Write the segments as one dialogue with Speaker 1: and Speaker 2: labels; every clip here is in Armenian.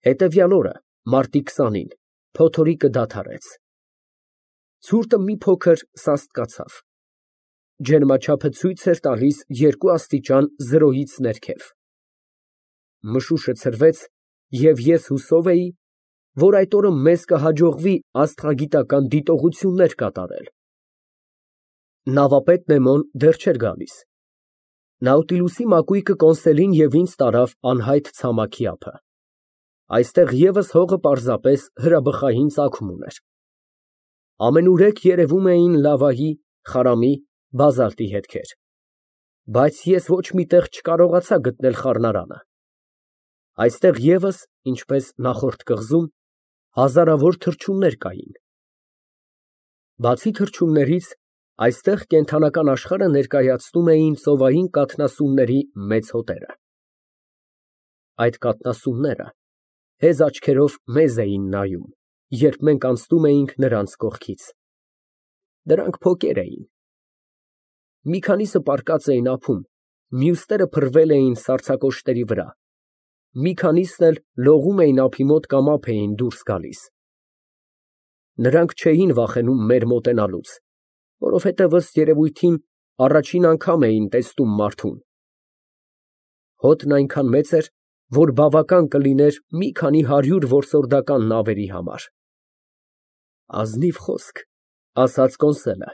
Speaker 1: Հետևյալ օրը, մարտի 20-ին, փոթորիկը դադարեց։ Ցուրտը մի փոքր սաստկացավ։ Ջերմաչափը ցույց էր տալիս 2 աստիճան 0-ից ներքև։ Մշուշը ցրվեց, և ես հուսով էի, որ այդ օրը մեզ կհաջողվի աստղագիտական դիտողություններ կատարել։ Նավապետ Նեմոն դեռ չէր գալիս։ Նաուտիլուսի մակույկը կոնսոլին և ինձ տարավ անհայտ ցամաքի ափը։ Այստեղ ևս հողը պարզապես հրաբխային ծագում ուներ։ Ամենուրեք երևում էին լավայի, խարամի, բազալտի հետքեր, բայց ես ոչ մի տեղ չկարողացա գտնել խառնարանը։ Այստեղ ևս, ինչպես նախորդ կղզում, հազարավոր թռչուններ կային։ Բացի թռչուններից, այստեղ կենդանական աշխարհը ներկայացնում էին ծովային կաթնասունների մեծ հոտերը։ Այդ կաթնասունները հեզ աչքերով մեզ էին նայում, երբ մենք անցնում էինք նրանց կողքից։ Դրանք փոկեր էին։ Մի քանիսը պառկած էին ափում, մյուսները փռվել էին սառցակոշտերի վրա, մի քանիսն էլ լողում էին ափի մոտ կամ ափ էին դուրս գալիս։ Նրանք չէին վախենում մեր մոտենալուց, որովհետև ըստ երևույթին առաջին անգամ էին տեսնում մարդուն։ Հոտն այնքան մեծ էր, որ բավական կլիներ մի քանի 100 որսորդական նավերի համար։ Ազնիվ խոսք, ասաց Կոնսելը,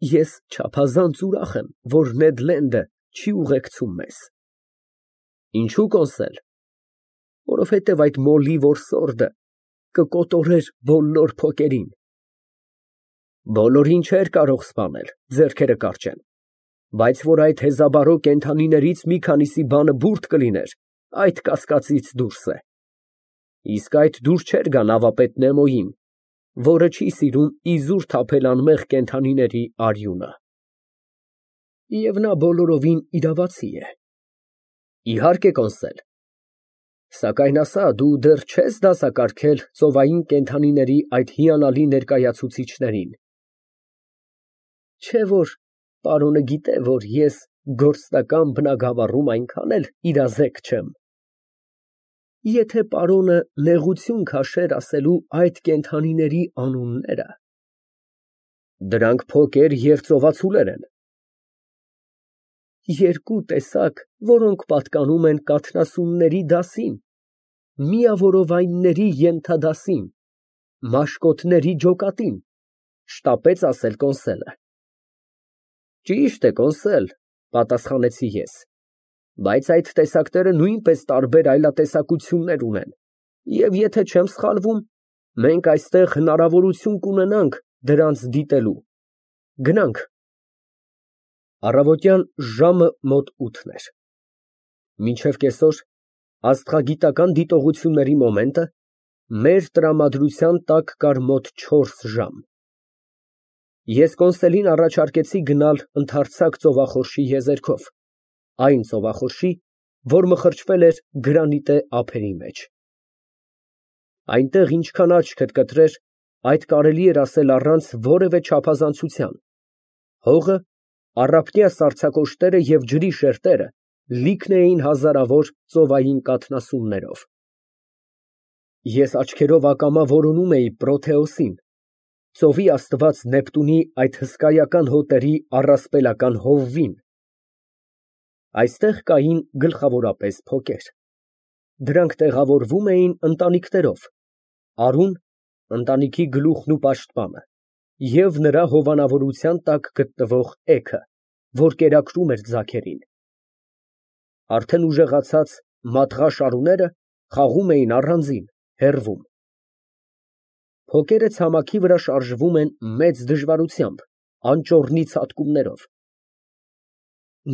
Speaker 1: ես չափազանց ուրախ եմ, որ Նեդ Լենդը չի ուղեկցում մեզ։ Ինչո՞ւ Կոնսել։ Որովհետև այդ մոլի որսորդը կկոտորեր բոլոր փոկերին։ Բոլորին չէր կարող սպանել, ձեռքերը կարճեն, բայց որ այդ հեզաբարո կենդանիներից մի քանիսի բանը բուրդ կլիներ, այդ կասկածից դուրս է։ Իսկ այդ դուր չէր գա նավապետ Նեմոյին, որը չի սիրում իզուր թափել անմեղ կենդանիների արյունը։ Եվ նա բոլորովին իրավացի է։ Իհարկե, Կոնսել։ Սակայն ասա, դու դեռ չես դասակարգել ծովային կենդանիների այդ հիանալի ներկայացուցիչներին։ Չէ՞ որ պարոնը գիտե, որ ես գործնական բնագավառում այնքան էլ իրազեկ չեմ։ Եթե պարոնը նեղություն քաշեր ասելու այդ կենդանիների անունները… Դրանք փոկեր և ծովացուլեր են։ Երկու տեսակ, որոնք պատկանում են կաթնասունների դասին, միավորովայնների ենթադասին, մաշկոտների ջոկատին, շտապեց ասել Կոնսելը։ Ճիշտ է, Կոնսել, պատասխանեցի ես, բայց այդ տեսակները նույնպես տարբեր այլատեսակություններ ունեն, և եթե չեմ սխալվում, մենք այստեղ հնարավորություն կունենանք դրանց դիտելու։ Գնանք։ Առավոտյան ժամը մոտ 8 էր։ Մինչև կեսօր աստղագիտական դիտողությունների մոմենտը մեր տրամադրության տակ կար մոտ 4 ժամ։ Ես Կոնսելին առաջարկեցի գնալ ընդարձակ ծովախորշի եզերքով, այն ծովախորշի, որ մխրճվել էր գրանիտե ափերի մեջ։ Այնտեղ ինչքան աչքդ կտրեր, այդ կարելի էր ասել առանց որևէ չափազանցության, հողը, առափնյա սառցակոշտերը և ջրի շերտերը լիքն էին հազարավոր ծովային կաթնասուններով։ Ես աչքերով ակամա որոնում էի Պրոթեոսին, ծովի աստված Նեպտունի այդ հսկայական հոտերի առասպելական հովվին։ Այստեղ կային գլխավորապես փոկեր։ Դրանք տեղավորվում էին ընտանիքներով, արուն, ընտանիքի գլուխն ու պաշտպանը, և նրա հովանավորության տակ գտնվող էգը, որ կերակրում էր ձագերին։ Արդեն ուժեղացած մատղաշ արուները խաղում էին առանձին, հեռվում։ Փոկերը ցամաքի վրա շարժվում են մեծ դժվարությամբ, անճոռնի ցատկումներով։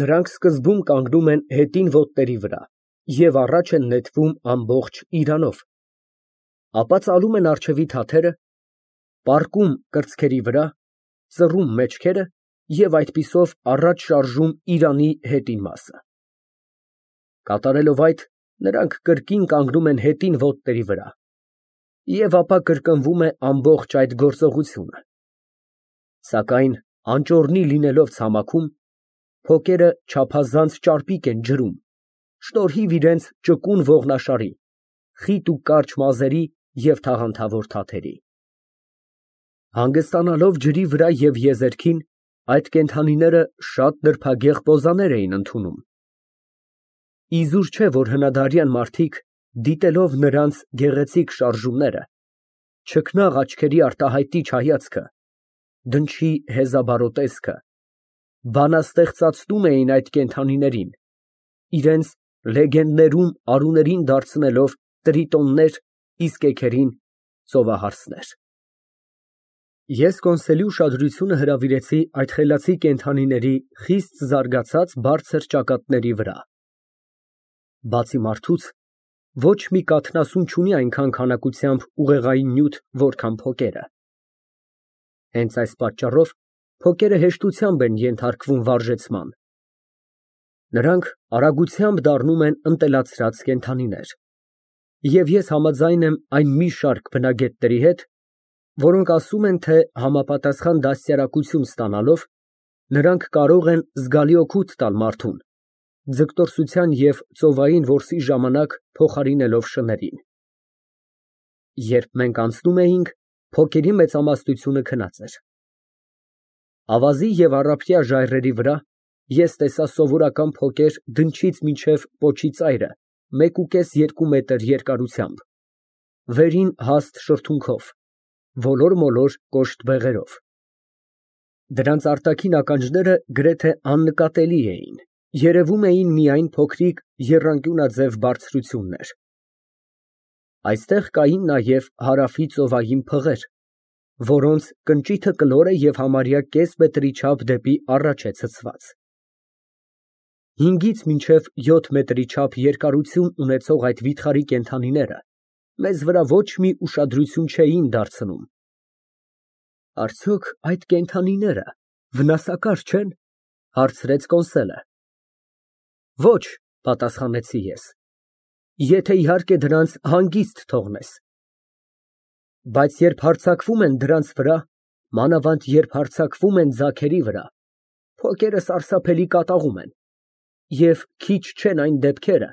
Speaker 1: Նրանք սկզբում կանգնում են հետին ոտների վրա և առաջ են նետվում ամբողջ իրանով, ապա ծալում են առջևի թաթերը, պառկում կրծքերի վրա, ծռում մեջքերը և այդպիսով առաջ շարժում իրանի հետին մասը։ Կատարելով այդ, նրանք կրկին կանգնում են հետին ոտների վրա, և ապա կրկնվում է ամբողջ այդ գործողությունը։ Սակայն անճոռնի լինելով ցամաքում, փոկերը չափազանց ճարպիկ են ջրում, շնորհիվ իրենց ճկուն ողնաշարի, խիտ ու կարճ մազերի և թաղանթավոր թաթերի։ Հանգստանալով ջրի վրա և եզերքին, այդ կենդանիները շատ նրբագեղ պոզաներ էին ընդունում։ Իզուր չէ, որ հնադարյան մարդիկ, դիտելով նրանց գեղեցիկ շարժումները, չքնաղ աչքերի արտահայտիչ հայացքը, դնչի հեզաբարո տեսքը, բանաստեղծացնում էին այդ կենդանիներին, իրենց լեգենդներում արուներին դարձնելով տրիտոններ, իսկ էգերին ծովահարսներ։ Ես Կոնսելի ուշադրությունը հրավիրեցի այդ խելացի կենդանիների խիստ զարգացած բարձր ճակատների վրա։ Բացի մարդուց, ոչ մի կաթնասուն չունի այնքան քանակությամբ ուղեղային նյութ, որքան փոկերը։ Հենց այս պատճառով փոկերը հեշտությամբ են ենթարկվում վարժեցման։ Նրանք արագությամբ դառնում են ընտելացրած կենդանիներ։ Եվ ես համաձայն եմ այն մի շարք բնագետների հետ, որոնք ասում են, թե համապատասխան դաստիարակություն ստանալով, նրանք կարող են զգալի օգուտ տալ մարդուն, ձգտորսության և ծովային որսի ժամանակ փոխարինելով շներին։ Երբ մենք անցնում էինք, փոկերի մեծամասնությունը քնած էր։ Ավազի և առափյա ժայռերի վրա ես տեսա սովորական փոկեր դնչից մինչև պոչի ծայրը 1,5-2 մետր երկարությամբ, վերին հաստ շրթունքով, ոլոր֊մոլոր կոշտ բեղերով։ Դրանց արտաքին ականջները գրեթե աննկատելի էին, երևում էին միայն փոքրիկ եռանկյունաձև բարձրություններ։ Այստեղ կային նաև հարավի ծովային փղեր, որոնց կնճիթը կլոր է և համարյա կես մետրի չափ դեպի առաջ է ցցված։ 5-ից մինչև 7 մետրի չափ երկարություն ունեցող այդ վիթխարի կենդանիները մեզ վրա ոչ մի ուշադրություն չէին դարձնում։ Արդյոք այդ կենդանիները վնասակար չե՞ն, հարցրեց Կոնսելը։ Ոչ, պատասխանեցի ես, եթե իհարկե դրանց հանգիստ թողնես։ Բայց երբ հարձակվում են դրանց վրա, մանավանդ երբ հարձակվում են ձագերի վրա, փոկերը սարսափելի կատաղում են, և քիչ չեն այն դեպքերը,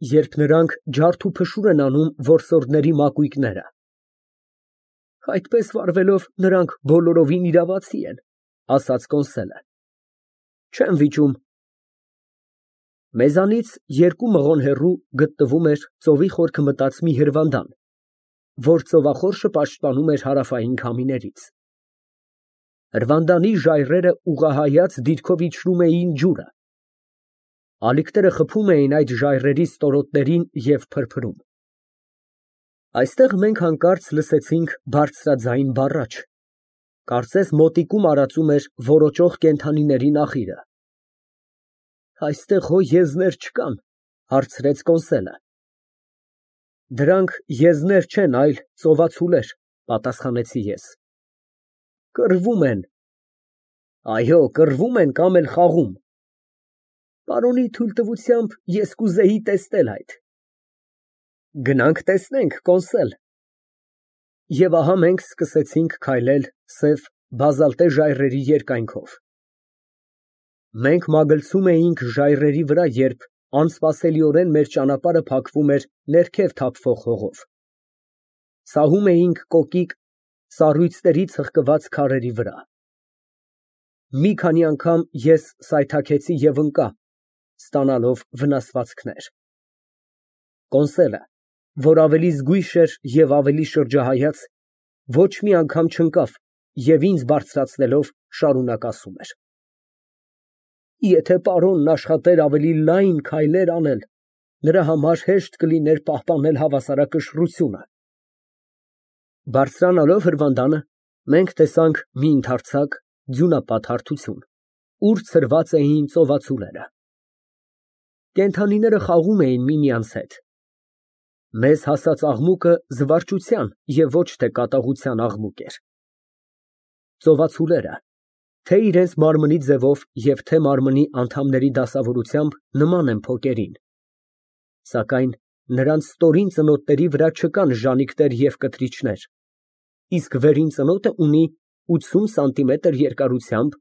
Speaker 1: երբ նրանք ջարդ ու փշուր են անում որսորդների մակույկները։ Այդպես վարվելով նրանք բոլորովին իրավացի են, ասաց Կոնսելը։ Չեմ վիճում։ Մեզանից 2 մղոն հեռու գտնվում էր ծովի խորքը մտած մի հրվանդան, որ ծովախորշը պաշտպանում էր հարավային քամիներից։ Հրվանդանի ժայռերը ուղղահայաց դիրքով իջնում էին ջուրը։ Ալիքները խփում էին այդ ժայռերի ստորոտներին և փրփրում։ Այստեղ մենք հանկարծ լսեցինք բարձրաձայն բառաչ, կարծես մոտիկում արածում էր որոճող կենդանիների նախիրը։ Այստեղ հո եզներ չկան, հարցրեց Կոնսելը։ Դրանք եզներ չեն, այլ ծովացուլեր, պատասխանեցի ես։ Կռվում են։ Այո, կռվում են կամ էլ խաղում։ Պարոնի թույլտվությամբ ես կուզեի տեսնել այդ։ Գնանք տեսնենք, Կոնսել։ Եվ ահա մենք սկսեցինք քայլել սև բազալտե ժայռերի երկայնքով։ Մենք մագլցում էինք ժայռերի վրա, երբ անսպասելիորեն մեր ճանապարհը փակվում էր ներքև թափվող հողով։ Սահում էինք կոկիկ սառույցների ցղկված քարերի վրա։ Մի քանի անգամ ես սայթաքեցի և ընկա, ստանալով վնասվածքներ։ Կոնսելը, որ ավելի զգույշ էր և ավելի շրջահայաց, ոչ մի անգամ չընկավ և ինձ բարձրացնելով շարունակ ասում էր. Եթե պարոնն աշխատեր ավելի լայն քայլեր անել, նրա համար հեշտ կլիներ պահպանել հավասարակշռությունը։ Բարձրանալով հրվանդանը, մենք տեսանք մի ընդարձակ ձյունապատ հարթություն, ուր ցրված էին ծովացուլերը։ Կենդանիները խաղում էին միմյանց հետ։ Մեզ հասած աղմուկը զվարճության և ոչ թե կատաղության աղմուկ էր։ Ծովացուլերը թե իրենց մարմնի ձևով և թե մարմնի անդամների դասավորությամբ նման են փոկերին, սակայն նրանց ստորին ծնոտների վրա չկան ժանիքներ և կտրիչներ, իսկ վերին ծնոտը ունի 80 սանտիմետր երկարությամբ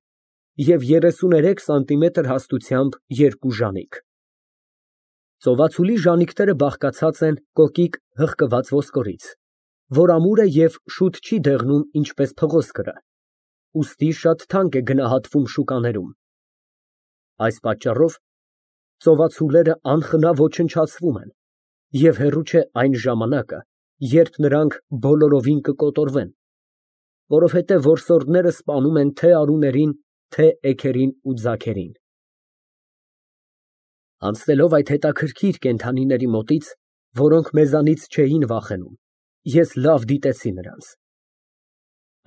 Speaker 1: և 33 սանտիմետր հաստությամբ երկու ժանիք։ Ծովածուլի ժանիքները բաղկացած են կոկիկ հղկված ոսկորից, որ ամուր է և շուտ չի դեղնում ինչպես փղոսկրը, ուստի շատ թանկ է գնահատվում շուկաներում։ Այս պատճառով ծովածուլերը անխնա ոչնչացվում են, և հեռու չէ այն ժամանակը, երբ նրանք բոլորովին կկոտորվեն, որովհետև որսորդները սպանում են թե արուներին, թե էգերին ու ձագերին։ Անցնելով այդ հետաքրքիր կենդանիների մոտից, որոնք մեզանից չէին վախենում, ես լավ դիտեցի նրանց։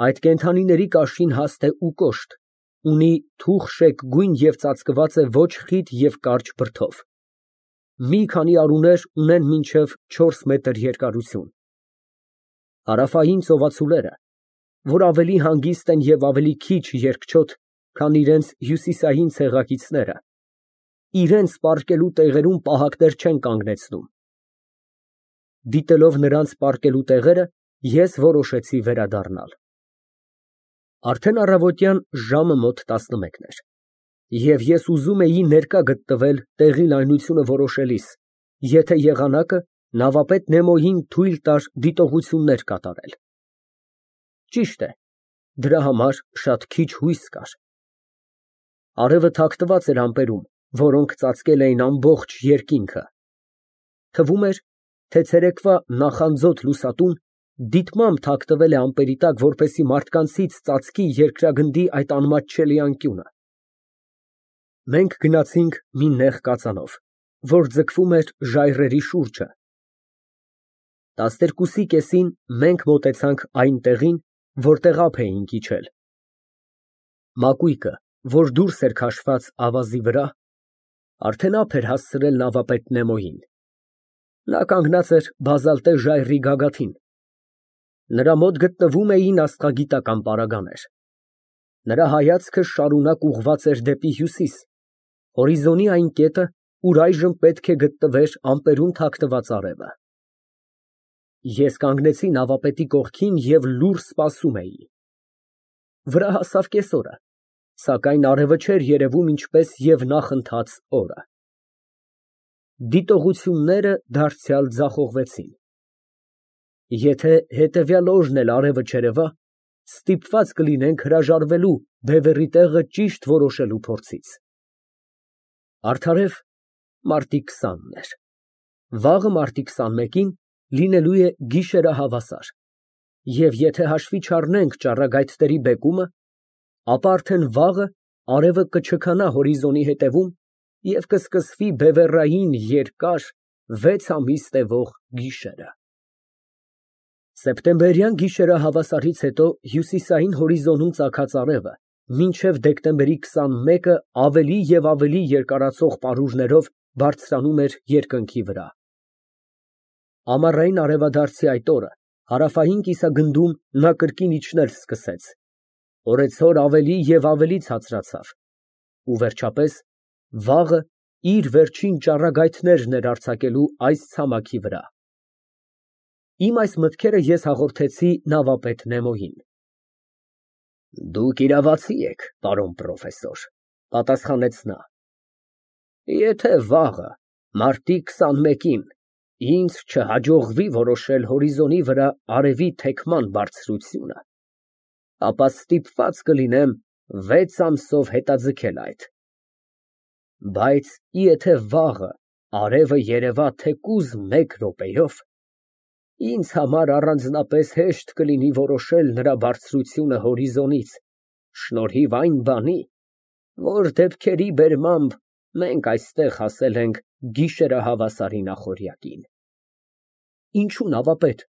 Speaker 1: Այդ կենդանիների կաշին հաստ է ու կոշտ, ունի թուխ շեկ գույն և ծածկված է ոչ խիտ և կարճ բրդով։ Մի քանի արուներ ունեն մինչև 4 մետր երկարություն։ Հարավային ծովածուլերը, որ ավելի հանգիստ են և ավելի քիչ երկչոտ, քան իրենց հյուսիսային ցեղակիցները, իրենց պառկելու տեղերում պահակներ չեն կանգնեցնում։ Դիտելով նրանց պառկելու տեղերը, ես որոշեցի վերադառնալ։ Արդեն առավոտյան ժամը մոտ 11 էր, և ես ուզում էի ներկա գտնվել տեղի լայնությունը որոշելիս, եթե եղանակը նավապետ Նեմոյին թույլ տար դիտողություններ կատարել։ Ճիշտ է, դրա համար շատ քիչ հույս կար։ Արևը թաքնված էր ամպերում, որոնք ծածկել էին ամբողջ երկինքը։ Թվում էր, թե ցերեկվա նախանձոտ լուսատուն դիտմամբ թաքնվել է ամպերի տակ, որպեսզի մարդկանցից ծածկի երկրագնդի այդ անմատչելի անկյունը։ Մենք գնացինք մի նեղ կածանով, որ ձգվում էր ժայռերի շուրջը։ 12-ի կեսին մենք մոտեցանք այն տեղին, որտեղ ափ էինք իջել։ Մակույկը, որ դուրս էր քաշված ավազի վրա, արդեն ափ էր հասցրել նավապետ Նեմոյին։ Նա կանգնած էր բազալտե ժայռի գագաթին։ Նրա մոտ գտնվում էին աստղագիտական պարագաներ։ Նրա հայացքը շարունակ ուղղված էր դեպի հյուսիս, հորիզոնի այն կետը, ուր այժմ պետք է գտնվեր ամպերում թաքնված արևը։ Ես կանգնեցի նավապետի կողքին և լուռ սպասում էի։ Վրա հասավ կեսօրը, սակայն արևը չէր երևում ինչպես և նախընթաց օրը։ Դիտողությունները դարձյալ ձախողվեցին։ Եթե հետևյալ օրն էլ արևը չերևա, ստիպված կլինենք հրաժարվելու բևեռի տեղը ճիշտ որոշելու փորձից։ Արդարև մարտի 20-ն էր։ Վաղը մարտի 21-ին լինելու է գիշերահավասար, և եթե հաշվի չառնենք ճառագայթների բեկումը, ապա արդեն վաղը արևը կչքանա հորիզոնի հետևում և կսկսվի բևեռային երկար 6 ամիս տևող գիշերը։ Սեպտեմբերյան գիշերահավասարից հետո հյուսիսային հորիզոնում ծագած արևը մինչև դեկտեմբերի 21-ը ավելի և ավելի երկարացող պարուրներով բարձրանում էր երկնքի վրա։ Ամառային արևադարձի այդ օրը հարավային կիսագնդում նա կրկին իջնել սկսեց, օրեցօր ավելի և ավելի ցածրացավ ու վերջապես վաղը իր վերջին ճառագայթներն էր արձակելու այս ցամաքի վրա։ Իմ այս մտքերը ես հաղորդեցի նավապետ Նեմոյին։ Դուք իրավացի եք, պարոն պրոֆեսոր, պատասխանեց նա։ Եթե վաղը, մարտի 21-ին, ինձ չհաջողվի որոշել հորիզոնի վրա արևի թեքման բարձրությունը, ապա ստիպված կլինեմ 6 ամսով հետաձգել այդ։ Բայց եթե վաղը արևը երևա թեկուզ 1 րոպեով, ինձ համար առանձնապես հեշտ կլինի որոշել նրա բարձրությունը հորիզոնից, շնորհիվ այն բանի, որ դեպքերի բերմամբ մենք այստեղ հասել ենք գիշերահավասարի նախօրյակին։ Ինչո՞ւ, նավապետ։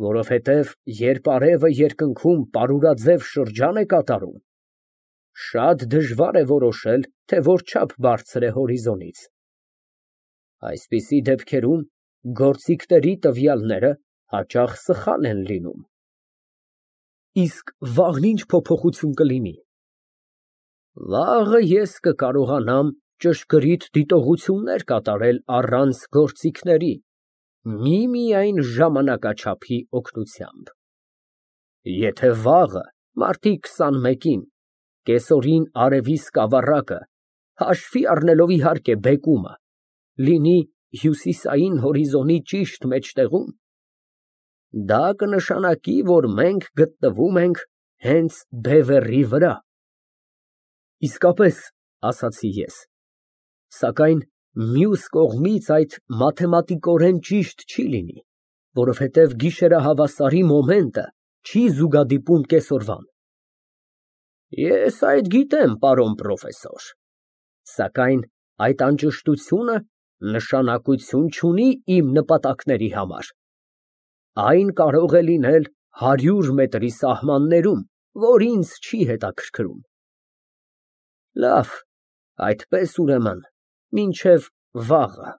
Speaker 1: Որովհետև երբ արևը երկնքում պարուրաձև շրջան է կատարում, շատ դժվար է որոշել, թե որչափ բարձր է հորիզոնից։ Այսպիսի դեպքերում գործիքների տվյալները հաճախ սխալ են լինում։ Իսկ վաղն ինչ փոփոխություն կլինի։ Վաղը ես կկարողանամ ճշգրիտ դիտողություններ կատարել առանց գործիքների, միմիայն ժամանակաչափի օգնությամբ։ Եթե վաղը, մարտի 21-ին, կեսօրին արևի սկավառակը, հաշվի առնելով իհարկե բեկումը, լինի հյուսիսային հորիզոնի ճիշտ մեջտեղում, դա կնշանակի, որ մենք գտնվում ենք հենց բևեռի վրա։ Իսկապես, ասացի ես, սակայն մյուս կողմից այդ մաթեմատիկորեն ճիշտ չի լինի, որովհետև գիշերահավասարի մոմենտը չի զուգադիպում կեսօրվան։ Ես այդ գիտեմ, պարոն պրոֆեսոր, սակայն այդ անճշտությունը նշանակություն չունի իմ նպատակների համար։ Այն կարող է լինել 100 մետրի սահմաններում, որ ինձ չի հետաքրքրում։ Լավ, այդպես ուրեմն, մինչև վաղը։